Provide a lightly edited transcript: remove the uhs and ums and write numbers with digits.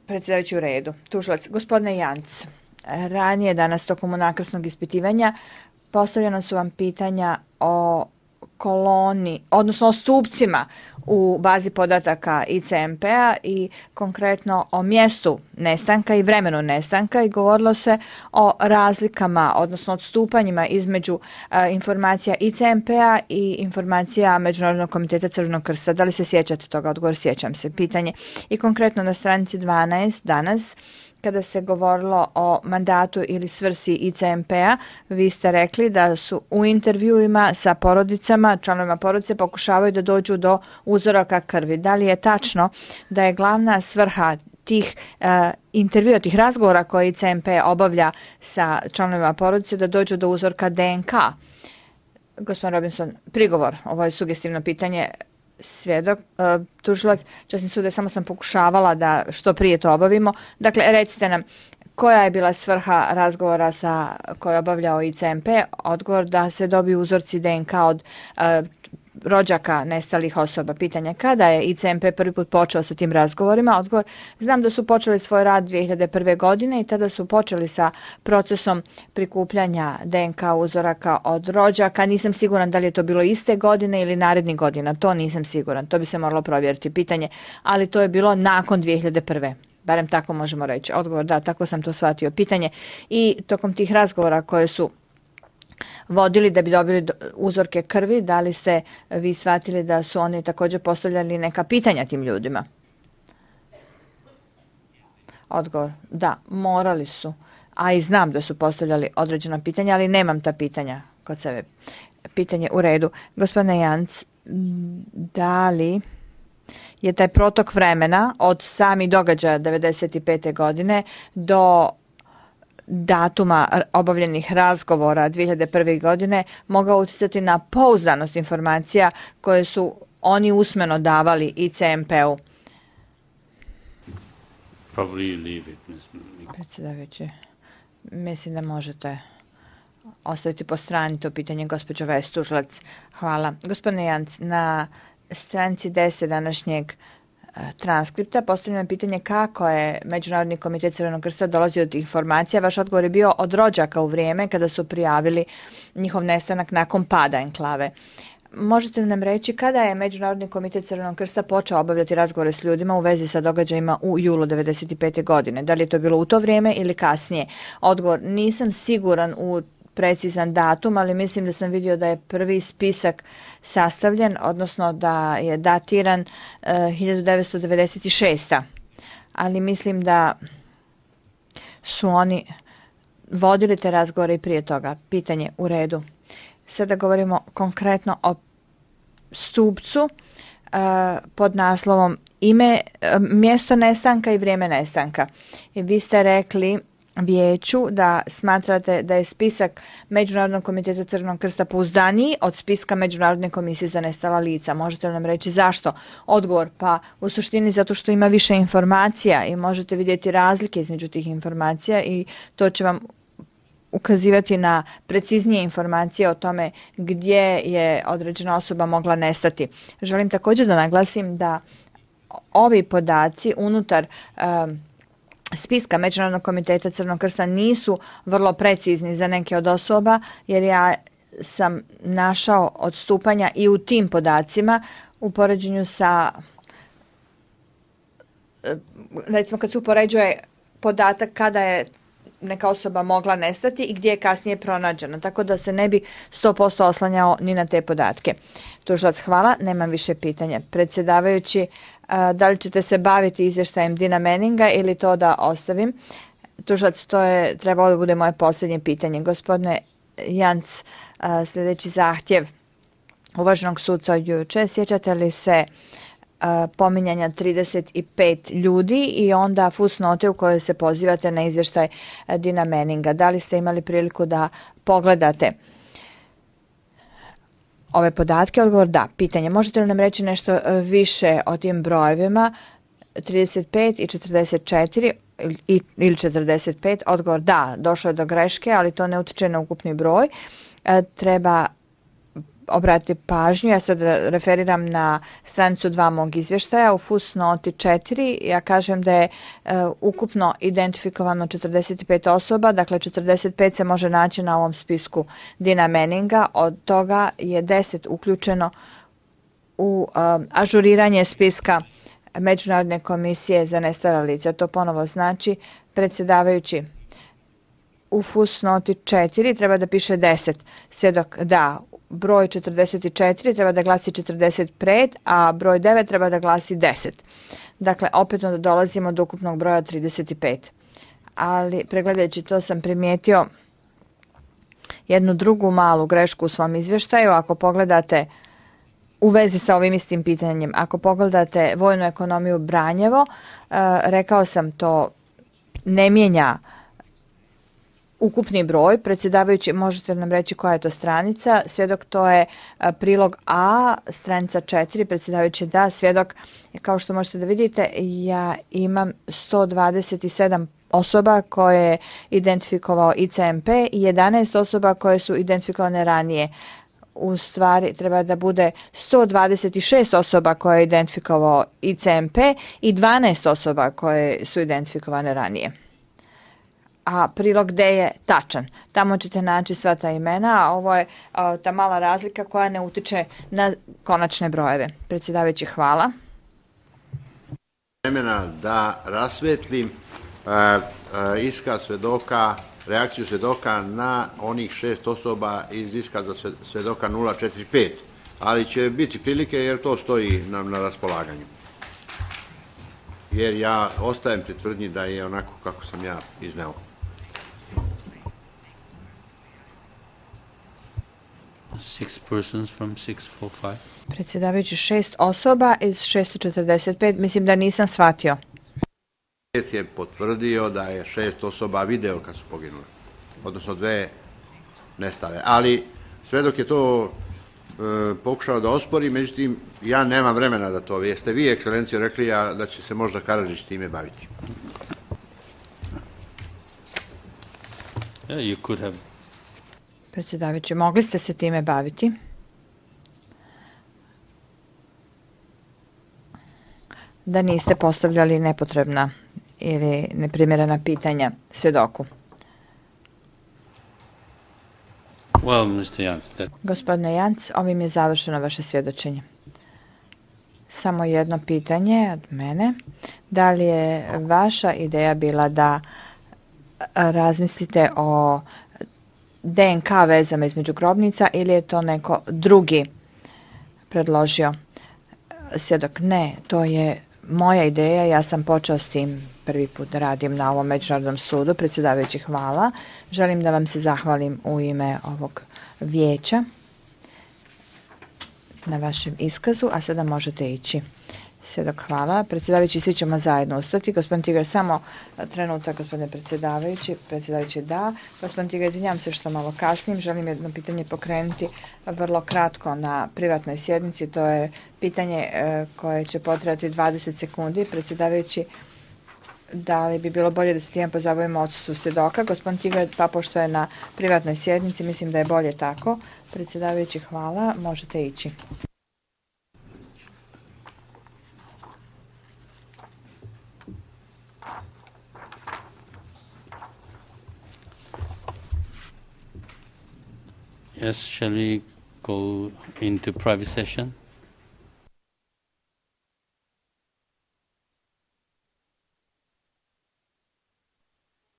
Predsjedavajući u redu. Tužilac, gospodine Janc, ranije danas tokom unakrsnog ispitivanja postavljena su vam pitanja o koloni, odnosno o stupcima u bazi podataka ICMP-a i konkretno o mjestu nestanka i vremenu nestanka i govorilo se o razlikama, odnosno odstupanjima između informacija ICMP-a i informacija Međunarodnog komiteta Crvenog krsta. Da li se sjećate toga? Odgovor, sjećam se. Pitanje. I konkretno na stranici 12 danas, kada se govorilo o mandatu ili svrsi ICMP-a, vi ste rekli da su u intervjuima sa porodicama, članovima porodice, pokušavaju da dođu do uzoraka krvi. Da li je tačno da je glavna svrha tih intervjua, tih razgovora koje ICMP obavlja sa članovima porodice da dođu do uzorka DNK? Gospodin Robinson, prigovor, ovo je sugestivno pitanje. Svjedok, tužilac, časni sude, samo sam pokušavala da što prije to obavimo. Dakle, recite nam, koja je bila svrha razgovora koje je obavljao ICMP? Odgovor da se dobiju uzorci DNK od rođaka nestalih osoba. Pitanje, kada je ICMP prvi put počeo sa tim razgovorima? Odgovor, znam da su počeli svoj rad 2001. godine i tada su počeli sa procesom prikupljanja DNK uzoraka od rođaka. Nisam siguran da li je to bilo iste godine ili narednih godina. To nisam siguran. To bi se moralo provjeriti. Pitanje, ali to je bilo nakon 2001. Barem tako možemo reći. Odgovor, da, tako sam to shvatio. Pitanje, i tokom tih razgovora koje su vodili da bi dobili uzorke krvi, da li ste vi shvatili da su oni također postavljali neka pitanja tim ljudima? Odgovor, da, morali su. A i znam da su postavljali određena pitanja, ali nemam ta pitanja kod sebe. Pitanje u redu. Gospodine Janc, da li je taj protok vremena od samih događaja 1995. godine do datuma obavljenih razgovora 2001. godine mogao utjecati na pouzdanost informacija koje su oni usmeno davali ICMP-u? Predsjedavajući, mislim da možete ostaviti po strani to pitanje, gospođo Vestužlac. Hvala. Gospodine Janc, na stranici 10 današnjeg transkripta postavljeno pitanje kako je Međunarodni komitet Crvenog krsta dolazio do tih informacija. Vaš odgovor je bio od rođaka u vrijeme kada su prijavili njihov nestanak nakon pada enklave. Možete li nam reći kada je Međunarodni komitet Crvenog krsta počeo obavljati razgovore s ljudima u vezi sa događajima u julu 1995. godine? Da li je to bilo u to vrijeme ili kasnije? Odgovor, nisam siguran u precizan datum, ali mislim da sam vidio da je prvi spisak sastavljen, odnosno da je datiran 1996. Ali mislim da su oni vodili te razgovore i prije toga. Pitanje u redu. Sada govorimo konkretno o stupcu pod naslovom ime, mjesto nestanka i vrijeme nestanka. I vi ste rekli vijeću da smatrate da je spisak Međunarodnog komiteta Crvenog krsta pouzdaniji od spiska Međunarodne komisije za nestala lica. Možete li nam reći zašto? Odgovor, pa u suštini zato što ima više informacija i možete vidjeti razlike između tih informacija i to će vam ukazivati na preciznije informacije o tome gdje je određena osoba mogla nestati. Želim također da naglasim da ovi podaci unutar spiska Međunarodnog komiteta Crvenog krsta nisu vrlo precizni za neke od osoba, jer ja sam našao odstupanja i u tim podacima u poređenju sa, recimo kad se upoređuje podatak kada je neka osoba mogla nestati i gdje je kasnije pronađena, tako da se ne bi 100% oslanjao ni na te podatke. Tužilac, hvala, nemam više pitanja. Predsjedavajući, da li ćete se baviti izvještajem Dina Manninga ili to da ostavim? Tužilac, to je trebalo da bude moje posljednje pitanje. Gospodine Janc, sljedeći zahtjev uvaženog suca juče, sjećate li se pominjanja 35 ljudi i onda fusnote u kojoj se pozivate na izvještaj Dina Manninga? Da li ste imali priliku da pogledate ove podatke? Odgovor, da. Pitanje, možete li nam reći nešto više o tim brojevima 35 i 44 ili 45? Odgovor, da, došlo je do greške, ali to ne utječe na ukupni broj. Treba obratiti pažnju, ja sad referiram na stranicu 2 mog izvještaja, u fusnoti 4, ja kažem da je ukupno identifikovano 45 osoba, dakle 45 se može naći na ovom spisku Dina Manninga, od toga je 10 uključeno u ažuriranje spiska Međunarodne komisije za nestala lica. To ponovo znači, predsjedavajući, u fusnoti 4 treba da piše 10. Svjedok da, broj 44 treba da glasi 45, a broj 9 treba da glasi 10. Dakle, opet dolazimo do ukupnog broja 35. Ali, pregledajući to, sam primijetio jednu drugu malu grešku u svom izvještaju. Ako pogledate u vezi sa ovim istim pitanjem, ako pogledate vojnu ekonomiju Branjevo, rekao sam, to ne mijenja ukupni broj. Predsjedavajući, možete nam reći koja je to stranica? Svjedok, to je prilog A, stranica 4, predsjedavajući da, svjedok, kao što možete da vidite, ja imam 127 osoba koje je identifikovao ICMP i 11 osoba koje su identifikovane ranije. U stvari treba da bude 126 osoba koje je identifikovao ICMP i 12 osoba koje su identifikovane ranije. A prilog D je tačan. Tamo ćete naći sva ta imena, a ovo je ta mala razlika koja ne utiče na konačne brojeve. Predsjedavajući, hvala. Vremena da rasvetlim iskaz svedoka, reakciju svedoka na onih 6 osoba iz iskaza svedoka 045, ali će biti prilike jer to stoji nam na raspolaganju. Jer ja ostajem pri tvrdnji da je onako kako sam ja izneo. Predsjedavajući, 6 osoba iz 645, mislim da nisam shvatio. Je potvrdio da je 6 osoba video kad su poginule, odnosno 2 nestale. Ali svedok je to pokušao da ospori, međutim ja nemam vremena da to. Jeste vi, ekscelencijo, rekli da će se možda Karadžić time baviti? Yeah, you could have. Predsjedavajući, mogli ste se time baviti? Da niste postavljali nepotrebna ili neprimjerena pitanja svjedoku. Well, Mr. Jans, Gospodine Jans, ovim je završeno vaše svjedočenje. Samo jedno pitanje od mene. Da li je vaša ideja bila da razmislite o DNK vezama između grobnica ili je to neko drugi predložio? Svjedok, ne, to je moja ideja, ja sam počeo s tim, prvi put da radim na ovom međunarodnom sudu. Predsjedavajući, hvala. Želim da vam se zahvalim u ime ovog vijeća na vašem iskazu, a sada možete ići. Svjedok, hvala. Predsjedavajući, svi ćemo zajedno ustati. Gospodin Tigar, samo trenutak, gospodine predsjedavajući. Predsjedavajući, da. Gospodin Tigar, izvinjam se što malo kasnim. Želim jedno pitanje pokrenuti vrlo kratko na privatnoj sjednici. To je pitanje koje će potrajati 20 sekundi. Predsjedavajući, da li bi bilo bolje da se time pozabavimo odsustvu svjedoka? Gospodin Tigar, pa pošto je na privatnoj sjednici, mislim da je bolje tako. Predsjedavajući, hvala. Možete ići. Yes, shall we go into private session?